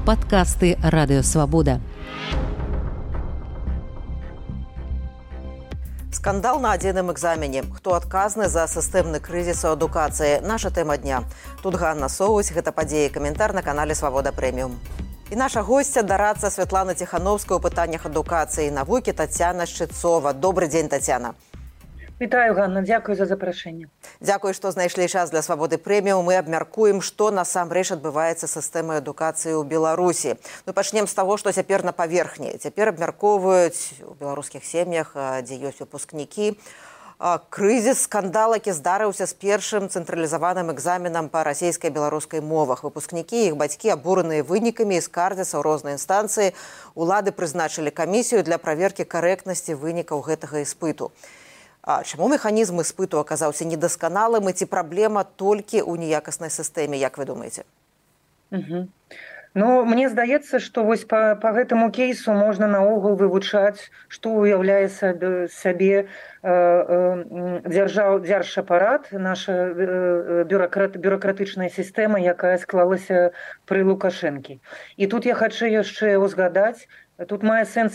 Падкасты Радыёвабода. Скандал на адзіным экзамене. Хто адказны за сістэмны крызіс у адукацыі? Наша тэма дня. Тут Ганна Соусь, гэта падзеі, каментар на канале Свабода Прэміум. І наша госця, дарадца Святлана Ціхановская ў пытаннях адукацыі і навукі Тацяна Шчыцова. Добры дзень, Тацяна. Вітаю, Ганна, дзякую за запрашэнне. Дзякую, што знайшлі час для Свабоды Прэміум. Мы абмяркуем, што насамрэч адбываецца з сістэмай адукацыі ў Беларусі. Пачнем з таго, што цяпер на паверхні. Цяпер абмяркоўваюць у беларускіх сем'ях, дзе ёсць выпускнікі, крызіс, скандал, які здарыўся з першым цэнтралізаваным экзаменам па расійскай і беларускай мовах. Выпускнікі і іх бацькі абураныя вынікамі і скардзяцца ў розныя інстанцыі. Улады прызначылі камісію для праверкі карэктнасці вынікаў гэтага іспыту. Чаму механізм іспыту аказаўся недасканалым і ці праблема толькі ў неякаснай сістэме, як вы думаеце? Ну, мне здаецца, што вось па гэтаму кейсу можна наогул вывучаць, што ўяўляе сабе дзяржапарат, наша бюракратычная сістэма, якая склалася пры Лукашэнкі. І тут я хачу яшчэ узгадаць, тут мае сэнс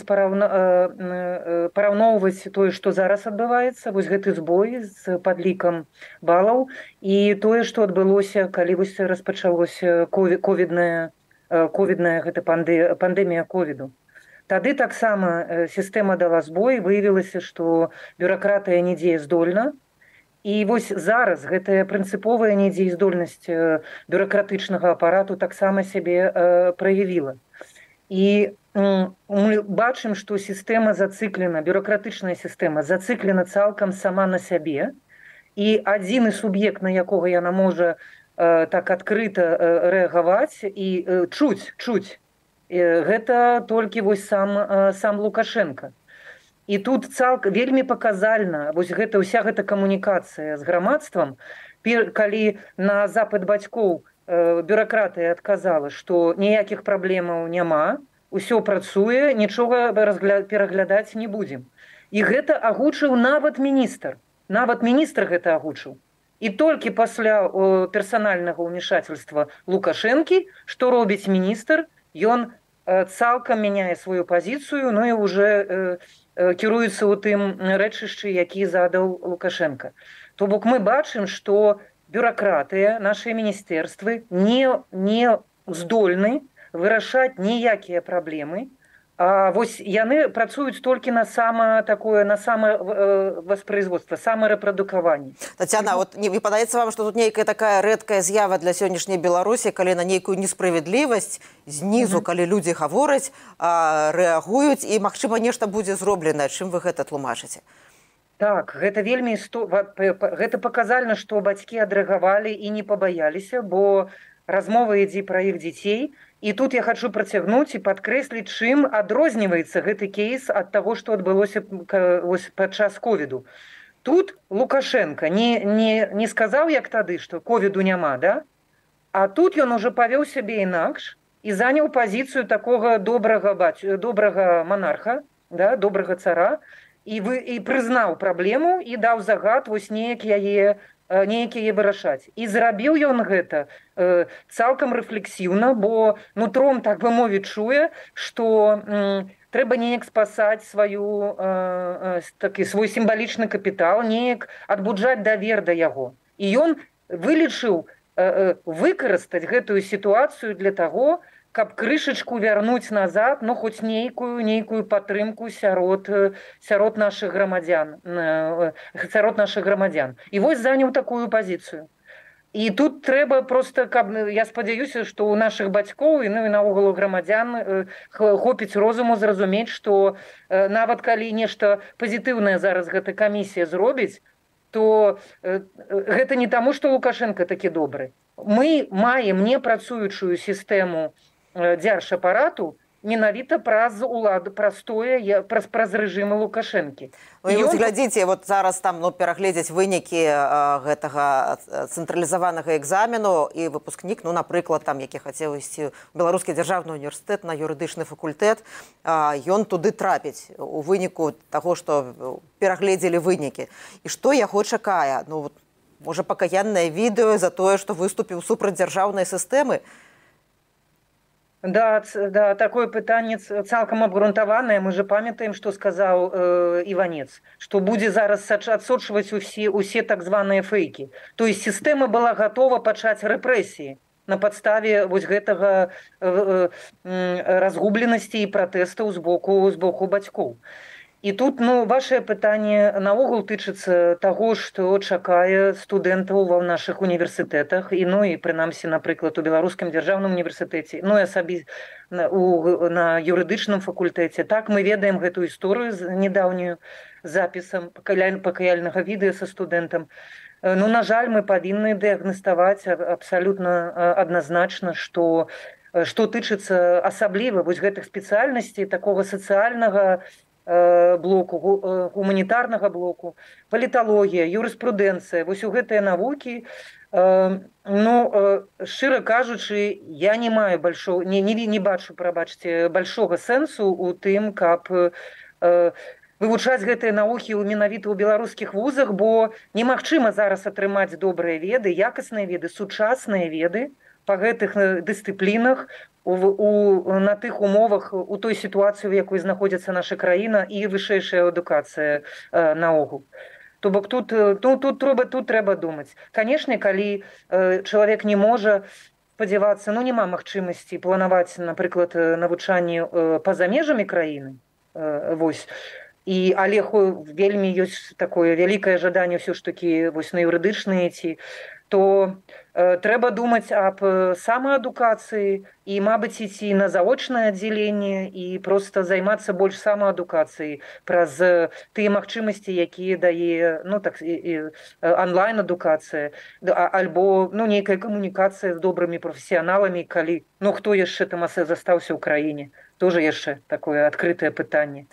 параўноўваць тое, што зараз адбываецца, вось гэты збой з падлікам балаў, і тое, што адбылося, калі вось распачалося ковідная гэта пандэмія ковіду. Тады таксама сістэма дала збой, выявілася, што бюракратыя не дзеяздольна. І вось зараз гэтая прынцыповая недзеяздольнасць бюракратычнага апарату таксама сябе праявіла. І мы бачым, што сістэма зацыклена, бюракратычная сістэма зацыклена цалкам сама на сябе, і адзіны суб'ект, на якога яна можа так адкрыта рэагаваць і чуць, гэта толькі вось сам Лукашенко. І тут вельмі паказальна вось ўся гэта камунікацыя з грамадствам, калі на запыт бацькоў бюракратыя адказала, што ніякіх праблемаў няма, усё працуе, нічога пераглядаць не будзем. І гэта агучыў нават міністр. Нават міністр гэта агучыў. І толькі пасля персанальнага ўмешательства Лукашэнкі, што робіць міністр, ён цалкам мяняе сваю пазіцыю, ну і ўжо кіруецца ў тым рэчышчы, які задаў Лукашенко. То бок мы бачым, што бюракратыя, нашыя міністэрствы не здольны вырашаць ніякія праблемы, а вось яны працуюць толькі на самавоспроизводство, самарэпрадукаванне. Тацяна, вот не падаецца вам, што тут нейкая такая рэдкая з'ява для сённяшняй Беларусі, калі на нейкую несправядлівасць знізу, калі людзі гавораць, рэагуюць, і, магчыма, нешта будзе зроблена. Чым вы гэта тлумачыце? Так, гэта вельмі гэта паказальна, што бацькі адрэагавалі і не пабаяліся, бо размова ідзе пра іх дзяцей. І тут я хачу працягнуць і падкрэсліць, чым адрозніваецца гэты кейс ад таго, што адбылося падчас ковіду. Тут Лукашенко не сказаў, як тады, што ковіду няма, да? А тут ён ужо павёў сябе інакш і заняў пазіцыю такога добрага манарха, да, добрага цара, і прызнаў праблему і даў загад вось неяк яе вырашаць. І зрабіў ён гэта цалкам рэфлексіўна, бо нутром, так бы мовіць, чуе, што трэба неяк спасаць свой сімвалічны капітал, неяк адбуджаць давер да яго. І ён вылічыў выкарыстаць гэтую сітуацыю для таго, каб крышачку вярнуць назад, ну, хоць нейкую падтрымку сярод нашых грамадзян. І вось заняў такую пазіцыю. І тут трэба проста, я спадзяюся, што ў нашых бацькоў і наогул грамадзян хопіць розуму зразумець, што нават калі нешта пазітыўнае зараз гэта камісія зробіць, то гэта не таму, што Лукашенко такі добры. Мы маем непрацуючую сістэму дзяржапарату менавіта праз улады, праз рэжымы Лукашэнкі. Ну, і глядзіце, вот зараз там перагледзяць вынікі гэтага цэнтралізаванага экзамену, і выпускнік, напрыклад, які хацеў ісці ў Беларускі дзяржаўны універсітэт на юрыдычны факультэт, ён туды трапіць у выніку таго, што перагледзелі вынікі. І што яго чакае? Можа, пакаяннае відэо за тое, што выступіў супраць дзяржаўнай сістэмы? Да, да, такое пытанне цалкам абгрунтаванае. Мы же памятаем, што сказаў Іванец, што будзе зараз адсочваць усе так званыя фэйкі. То есть сістэма была гатова пачаць рэпрэсіі на падставе вось гэтага разгубленасці і пратэстаў з боку бацькоў. І тут ваше пытанне наогул тычыцца таго, што чакае студэнтаў ва нашых універсітэтах і прынамсі, напрыклад, у беларускам дзяржаўным універсітэце, і на юрыдычным факультэце. Так мы ведаем гэтую історыю з нядаўнюю запісам пакаяльнага відэа са студэнтам. На жаль, мы павінны дыягнаставаць абсалютна адназначна, што тычыцца асабліва вось гэтых спецыяльнасцей такога сацыяльнага блоку, гуманітарнага блоку, паліталогія, юрыспрудэнцыя, вось у гэтыя навукі, шчыра кажучы, я не маю не бачу, прабачце, большога сэнсу у тым, каб вывучаць гэтыя навукі менавіта ў беларускіх вузах, бо немагчыма зараз атрымаць добрыя веды, якасныя веды, сучасныя веды па гэтых дысцыплінах на тых умовах, у той сітуацыі, у якой знаходзіцца наша краіна і вышэйшая адукацыя наогул. То бок тут трэба думаць. Канешне, калі чалавек не можа спадзявацца, няма магчымасці планаваць, напрыклад, навучанне па-за межамі краіны, але вельмі ёсць такое вялікае жаданне ўсё ж такі на юрыдычныя ці, то трэба думаць аб самаадукацыі і, мабыць, ісці на заочнае аддзяленне і проста займацца больш самаадукацыяй праз тыя магчымасці, якія дае онлайн-адукацыя, альбо нейкая камунікацыя з добрымі прафесіяналамі, калі хто яшчэ там застаўся ў краіне. Тоже яшчэ такое адкрытае пытанне.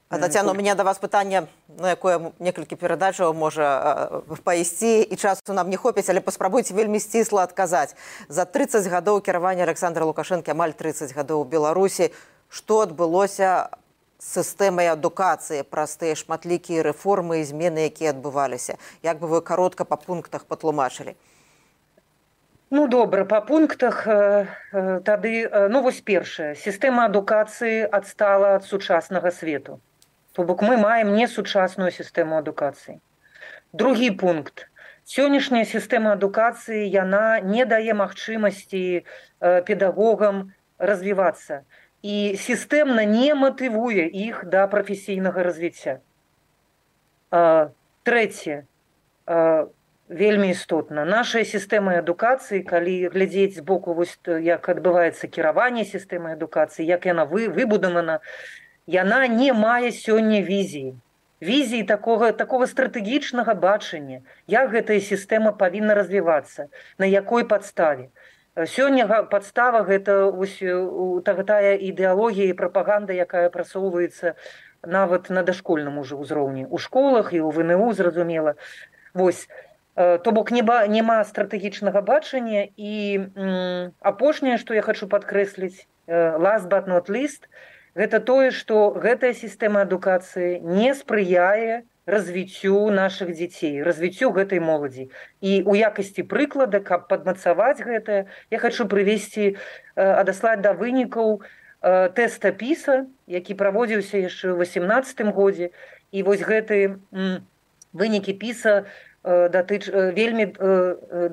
Тацяна, у меня да вас пытанне, на якое некалькі перадачаў можа пайсці, і часу нам не хопіць, але паспрабуйце вельмі сцісла адказаць. За 30 гадоў кіравання Александра Лукашэнкі, амаль 30 гадоў у Беларусі, што адбылося з сістэмай адукацыі праз тыя шматлікія рэформы і змены, якія адбываліся? Як бы вы каротка па пунктах патлумачылі? Добра, па пунктах тады, вось першае. Сістэма адукацыі адстала ад сучаснага свету. То бок мы маем несучасную сістэму адукацыі. Другі пункт. Сённяшняя сістэма адукацыі, яна не дае магчымасці педагогам развівацца. І сістэмна не матывуе іх да прафесійнага развіцця. Трэцяе. Вельмі істотна. Нашая сістэма адукацыі, калі глядзець збоку, як адбываецца кіраванне сістэмай адукацыі, як яна выбудавана, яна не мае сёння візіі. Візіі такога стратэгічнага бачання, як гэтая сістэма павінна развівацца, на якой падставе. Сёння падстава гэта тая ідэалогія і прапаганда, якая прасоўваецца нават на дашкольным ужо ўзроўні. У школах і ў ВНУ, зразумела. То бок няма стратэгічнага бачання. І апошняе, што я хочу падкрэсліць, last but not least, гэта тое, што гэтая сістэма адукацыі не спрыяе развіццю нашых дзяцей, развіццю гэтай моладзі. І ў якасці прыклада, каб падмацаваць гэтае, я хочу адаслаць да вынікаў тэста PISA, які праводзіўся яшчэ ў 2018 годзе. І вось гэтыя вынікі PISA вельмі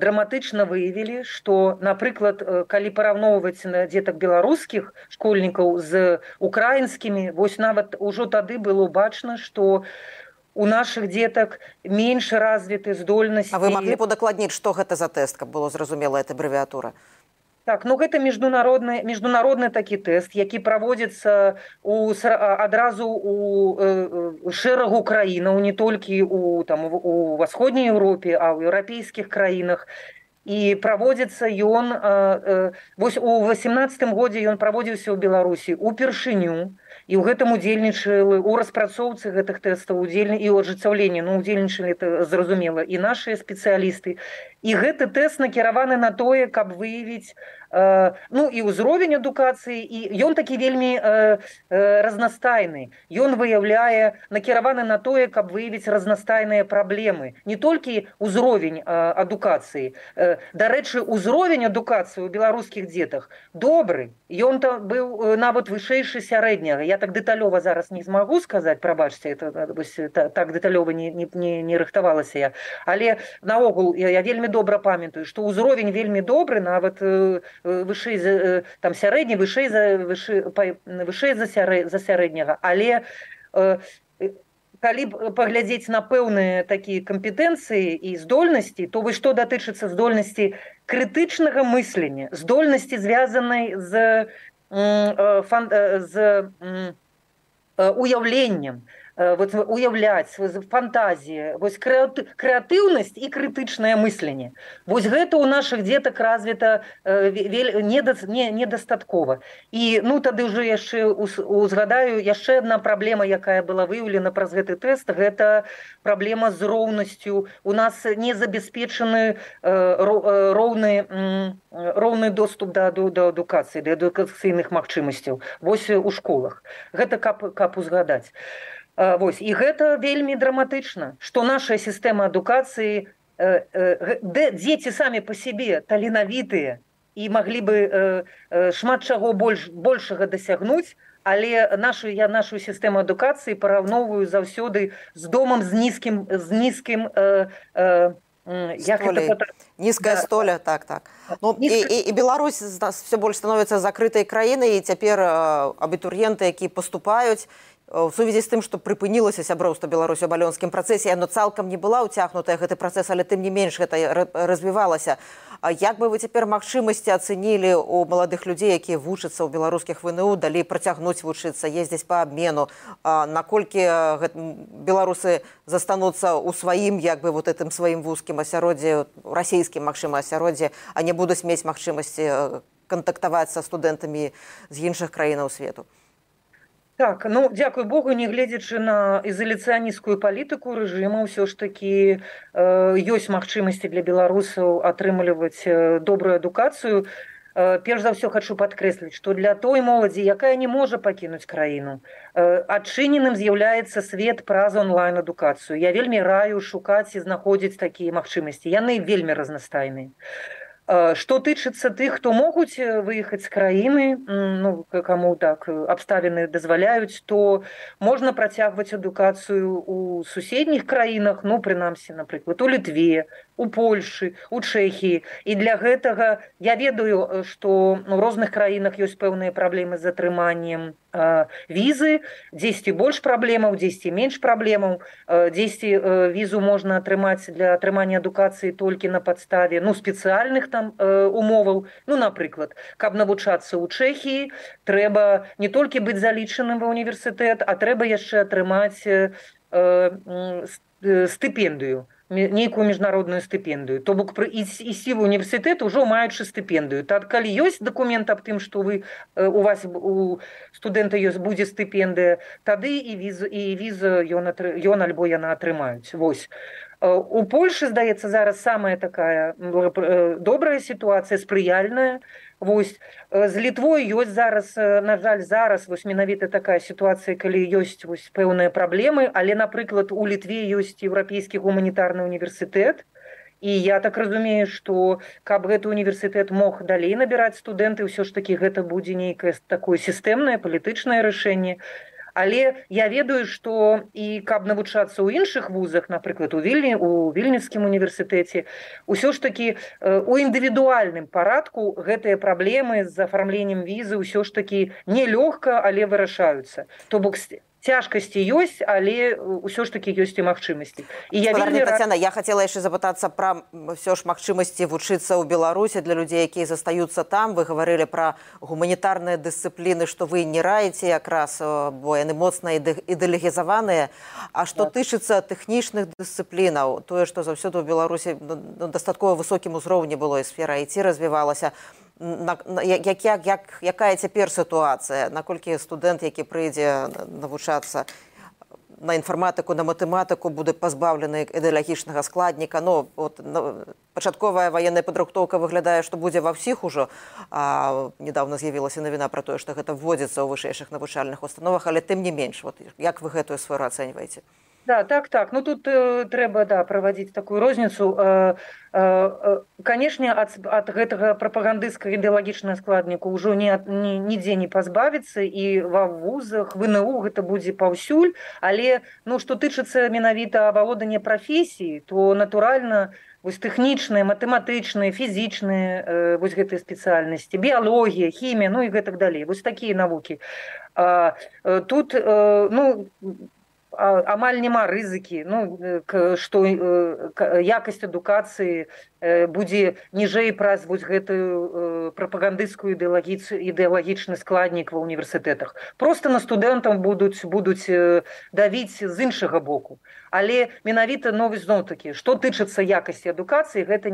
драматычна выявілі, што, напрыклад, калі параўноўваць дзетак беларускіх школьнікаў з украінскімі, вось нават ужо тады было бачна, што у нашых дзетак менш развіты здольнасці. А вы маглі б удакладніць, што гэта за тэст, каб было зразумела эта абрэвіатура? Так, гэта міжнародны такі тэст, які праводзіцца адразу у шэрагу краінаў, не толькі у Усходняй Еўропе, а ў еўрапейскіх краінах. І праводзіцца ён, вось у 2018 годзе ён праводзіўся ў Беларусі упершыню, і ў гэтым удзельнічалі, у распрацоўцы гэтых тэстаў і ў ажыццяўленні, удзельнічалі, зразумела, і нашыя спецыялісты. І гэты тэст накіраваны на тое, каб выявіць ну і ўзровень адукацыі, і ён такі вельмі разнастайны. Ён выяўляе, накіраваны на тое, каб выявіць разнастайныя праблемы. Не толькі ўзровень адукацыі. Дарэчы, ўзровень адукацыі ў беларускіх дзетах добры. Ён быў нават вышэйшы сярэдняга. Я так дэталёва зараз не змагу сказаць, прабачце, так дэталёва не рыхтавалася я. Але наогул я вельмі добра памятаю, што ўзровень вельмі добры, нават вышэй там сярэдні, вышэй за сярэдняга. Але калі паглядзець на пэўныя такія кампетэнцыі і здольнасці, то вось што датычыцца здольнасці крытычнага мыслення, здольнасці звязанай з уяўленнем, уяўляць, фантазія, вось крэатыўнасць і крытычнае мысленне. Вось гэта ў нашых дзетак развіта недастаткова. І ну тады ўжо яшчэ узгадаю, яшчэ адна праблема, якая была выяўлена праз гэты тэст, гэта праблема з роўнасцю. У нас не забяспечаны роўны доступ да адукацыі, да адукацыйных магчымасцяў. Вось у школах. Гэта каб узгадаць. Вось, і гэта вельмі драматычна, што наша сістэма адукацыі, дзеці самі па сябе таленавітыя і маглі бы шмат чаго большага дасягнуць, але я нашу сістэму адукацыі параўноўваю заўсёды з домам з нізкім низкая столя, так. Ну, и Беларусь все больше становится закрытой краиной, и теперь абітурыенты, якія поступаюць, у сувязі з тым, што прыпынілася сяброўства Беларусі ў балёнскім працэсе, яно цалкам не была ўцягнутая гэты працэс, але тым не менш гэта развівалася. Як бы вы цяпер магчымасці ацэнілі у маладых людзей, якія вучацца ў беларускіх ВНУ, далей працягнуць вучыцца, ездзіць па абмену, наколькі беларусы застануцца ў сваім, як бы вот гэтым сваім вузкім асяроддзі, расійскім, магчыма, асяроддзі, а не будуць мець магчымасці кантактаваць са студэнтамі з іншых краінаў свету? Так, ну, дзякуй Богу, не гледзячы на ізаляцыянісцкую палітыку рэжыма, ўсё ж такі ёсць магчымасці для беларусаў атрымліваць добрую адукацыю. Перш за ўсё хачу падкрэсліць, што для той моладзі, якая не можа пакінуць краіну, адчыненым з'яўляецца свет праз онлайн-адукацыю. Я вельмі раю шукаць і знаходзіць такія магчымасці. Яны вельмі разнастайныя. Што тычыцца тых, хто могуць выехаць з краіны, ну, каму так абставіны дазваляюць, то можна працягваць адукацыю ў суседніх краінах, ну, прынамсі, напрыклад, у Літве, у Польшы, у Чэхіі. І для гэтага я ведаю, што ў розных краінах ёсць пэўныя праблемы з атрыманнем візы, дзесьці больш праблемаў, дзесьці менш праблемаў, дзесьці візу можна атрымаць для атрымання адукацыі толькі на падставе, ну, спецыяльных там умоваў. Ну, напрыклад, каб навучацца ў Чэхіі, трэба не толькі быць залічаным ва універсітэт, а трэба яшчэ атрымаць стыпендыю, нейкую міжнародную стыпендыю. То бок ісці в універсітэт ужо маючы стыпендыю. Так, калі ёсць дакумент аб тым, што у вас у студэнта будзе стыпендыя, тады і віза ён альбо яна атрымаюць. Вось. У Польшы, здаецца, зараз самая такая добрая сітуацыя, спрыяльная. Вось. З Літвой ёсць зараз, на жаль, вось менавіта такая сітуацыя, калі ёсць вось пэўныя праблемы, але, напрыклад, у Літве ёсць еўрапейскі гуманітарны універсітэт, і я так разумею, што каб гэты універсітэт мог далей набіраць студэнты, ўсё ж такі гэта будзе нейкае такое сістэмнае палітычнае рашэнне. Але я ведаю, што і каб навучацца ў іншых вузах, напрыклад, у Вільнюсскім універсітэце, усё ж такі у індывідуальным парадку гэтыя праблемы з афармленнем візы ўсё ж такі нелёгка, але вырашаюцца. То бок цяжкасці ёсць, але ўсё ж такі ёсць і магчымасці. Тацяна, я хацела яшчэ запытацца пра ўсё ж магчымасці вучыцца ў Беларусі для людзей, якія застаюцца там. Вы гаварылі пра гуманітарныя дысцыпліны, што вы не раіце якраз, бо яны моцна ідэалогізаваныя. А што тычыцца тэхнічных дысцыплінаў, тое, што заўсёды ў Беларусі дастаткова высокім узроўні было, і сфера IT развівалася, якая цяпер сітуацыя, наколькі студэнт, які прыйдзе навучацца, на інфарматыку, на матэматыку будзе пазбаўлены ідэалагічнага складніка. Ну, от, пачатковая ваенная падрыхтоўка выглядае, што будзе ва ўсіх ужо. Недавно з'явілася навіна пра тое, што гэта вводзіцца ў вышэйшых навучальных установах, але тым не менш. Вот, як вы гэтую сферу ацэньваеце? Да, так. Ну, тут трэба, праводзіць такую розніцу. Канешне, ад гэтага прапагандысцкага ідэалагічнага складніку ўжо нідзе не пазбавіцца, і ва вузах, ВНУ гэта будзе паўсюль, але, ну, што тычыцца менавіта авалодання прафесіі, то, натуральна, вось тэхнічныя, матэматычныя, фізічныя вось гэтыя спецыяльнасці, біялогія, хімія, ну і гэтак далей. Вось такія навукі. Тут, ну, амаль няма рызыкі, ну, што якасць адукацыі будзе ніжэй праз вось гэтую прапагандысцкую ідэалагічны складнік ва ўніверсітэтах. Проста на студэнтам будуць давіць з іншага боку. Але менавіта, ну, зноў-такі, што тычыцца якасці адукацыі, гэта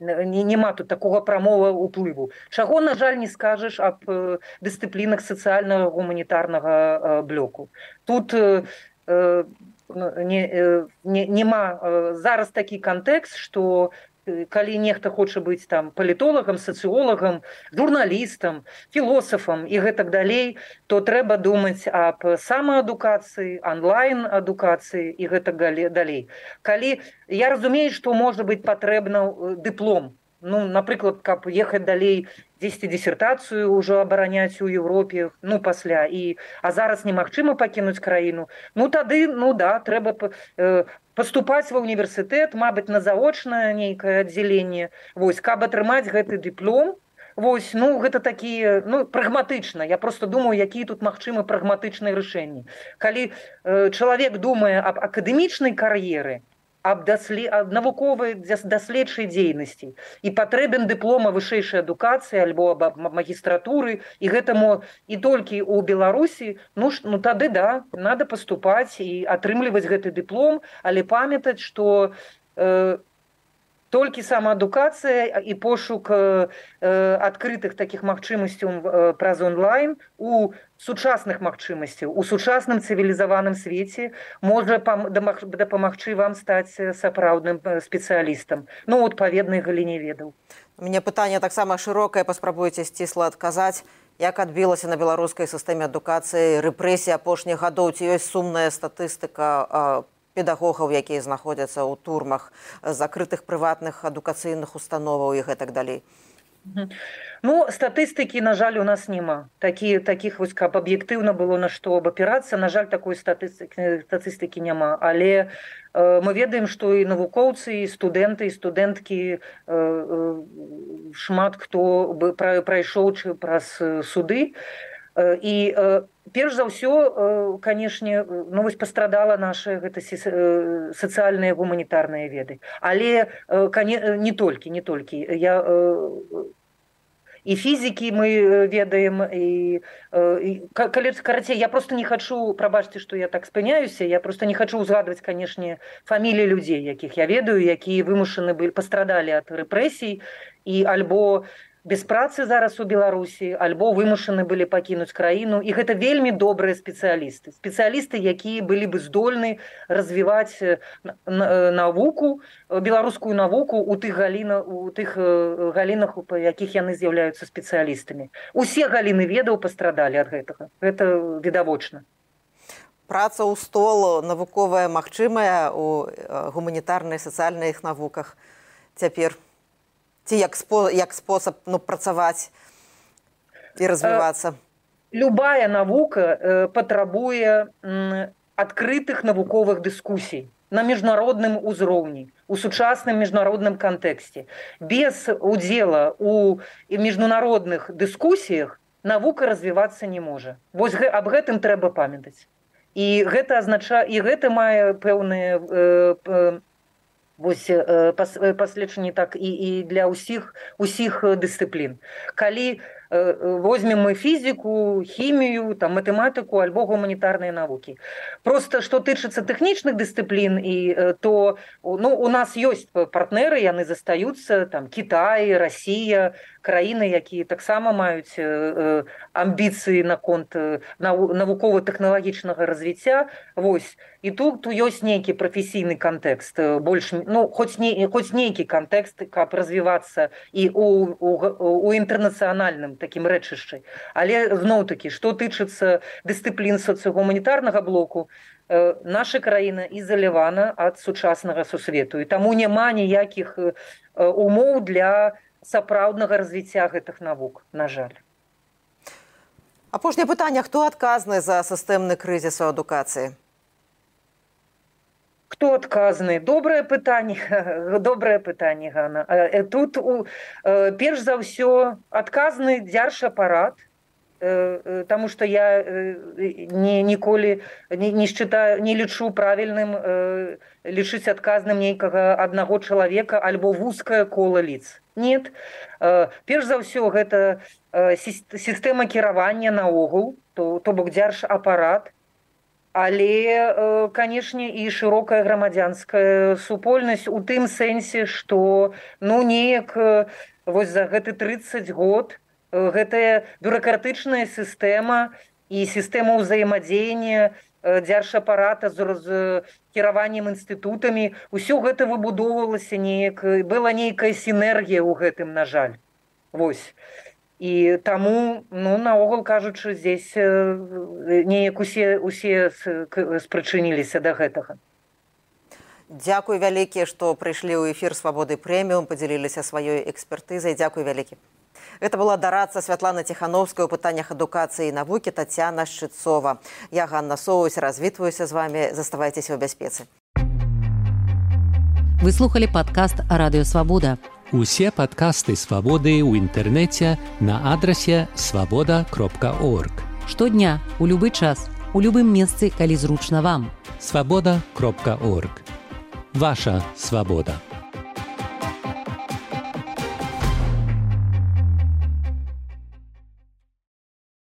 няма тут такога прамога ўплыву. Чаго, на жаль, не скажаш аб дысцыплінах сацыяльнага гуманітарнага блоку. Тут няма зараз такі кантэкст, што калі нехта хоча быць там палітолагам, сацыолагам, журналістам, філосафам і гэтак далей, то трэба думаць аб самаадукацыі, онлайн-адукацыі і гэтак далей. Калі я разумею, што можа быць патрэбна дыплом, ну, напрыклад, каб ехаць далей, дзесьці дысертацыю ўжо абараняць у Еўропе, ну, пасля, а зараз немагчыма пакінуць краіну, ну, тады, ну, да, трэба паступаць ва ўніверсітэт, мабыць, на заочнае нейкае аддзяленне, вось, каб атрымаць гэты дыплом, вось, ну, гэта такія, ну, прагматычна, я просто думаю, якія тут магчымы прагматычныя рашэнні. Калі чалавек думае аб акадэмічнай кар'еры, аб навуковай даследчай дзейнасці і патрэбен дыплома вышэйшай адукацыі альбо аб магістратуры, і гэтаму і толькі ў Беларусі, ну тады да, надо паступаць і атрымліваць гэты дыплом, але памятаць, што толькі самаадукацыя і пошук адкрытых такіх магчымасцяў праз онлайн у сучасных магчымасцяў, у сучасным цывілізаваным свеце можа дапамагчы вам стаць сапраўдным спецыялістам, ну, у адпаведнай галіне ведаў. У мяне пытанне таксама шырокае, паспрабуйце сцісла адказаць. Як адбілася на беларускай сістэме адукацыі рэпрэсіі апошніх гадоў? Ці ёсць сумная статыстыка педагогаў, якія знаходзяцца ў турмах, закрытых прыватных адукацыйных установаў і гэтак далей? Ну, статыстыкі, на жаль, у нас няма. Такіх вось, каб аб'ектыўна было на што абапірацца, на жаль, такой статыстыкі няма. Але мы ведаем, што і навукоўцы, і студэнты, і студэнткі, шмат хто прайшоў праз суды. І перш за ўсё, канешне, ну, вось пастрадала наша гэта сацыяльныя гуманітарныя веды. Але не толькі. І фізікі мы ведаем, карацей, я просто не хачу, прабачце, што я так спыняюся, я просто не хачу ўзгадваць, канешне, фаміліі людзей, якіх я ведаю, якія вымушаны пастрадалі ад рэпрэсій і альбо без працы зараз у Беларусі, альбо вымушаны былі пакінуць краіну. І гэта вельмі добрыя спецыялісты. Спецыялісты, якія былі бы здольны развіваць навуку, беларускую навуку у тых галінах, па якіх яны з'яўляюцца спецыялістамі. Усе галіны ведаў пастрадалі ад гэтага. Гэта відавочна. Праца ў стол навуковая магчымая у гуманітарнай, сацыяльных навуках цяпер? Ці як спосаб, ну, працаваць і развівацца? Любая навука патрабуе адкрытых навуковых дыскусій на міжнародным узроўні, у сучасным міжнародным кантэксце. Без удзела ў міжнародных дыскусіях навука развівацца не можа. Вось аб гэтым трэба памятаць. І гэта азначае, і гэта мае пэўныя паследчанні так і для ўсіх дысцыплін. Калі возьмем мы фізіку, хімію, там, матэматыку альбо гуманітарныя навукі. Просто што тычыцца тэхнічных дысцыплін, то ну, у нас ёсць партнеры, яны застаюцца, там, Кітай, Расія, краіны, якія таксама маюць амбіцыі наконт навукова-тэхналагічнага развіцця. Вось. І тут ёсць нейкі прафесійны кантэкст, больш, хоць нейкі кантэкст, каб развівацца і у інтэрнацыянальным такім рэчышчы. Але зноў-такі, што тычыцца дысцыплін сацыягуманітарнага блоку, наша краіна ізалявана ад сучаснага сусвету. І таму няма ніякіх умоў для сапраўднага развіцця гэтых навук, на жаль. Апошняе пытанне. Хто адказны за сістэмны крызіс у адукацыі? Хто адказны? Добрае пытанне, Ганна. Тут, перш за ўсё, адказны дзяржапарат, таму што я ніколі не лічу правільным лічыць адказным нейкага аднаго чалавека альбо вузкае кола лиц. Нет. Перш за ўсё, гэта сістэма кіравання наогул, то бок дзяржапарат, але, канешне, і шырокая грамадзянская супольнасць у тым сэнсе, што, неяк вось за гэты 30 год гэтая бюракратычная сістэма і сістэма ўзаемадзеяння дзяржапарата з кіраваннем інстытутамі, усё гэта выбудоўвалася неяк, была нейкая сінергія ў гэтым, на жаль. Вось. І таму, наогул кажучы, здесь неяк усе спрычыніліся да гэтага. Дзякуй вялікі, што прыйшлі ў эфір «Свабоды прэміум», падзяліліся сваёй экспертызай. Дзякуй вялікі. Это была дорадца Святлана Тихановская у пытаннях адукацыі і навукі Тацяна Шчыцова. Я, Ганна Соусь, развітваюся з вами. Заставайцеся ў бяспецы. Вы слухали падкаст «Радыё Свабода». Усе падкасты «Свабоды» ў інтэрнэце на адрасе свабода.орг. Штодня, у любы час, у любым месцы, калі зручна вам. Свабода.орг. Ваша свабода.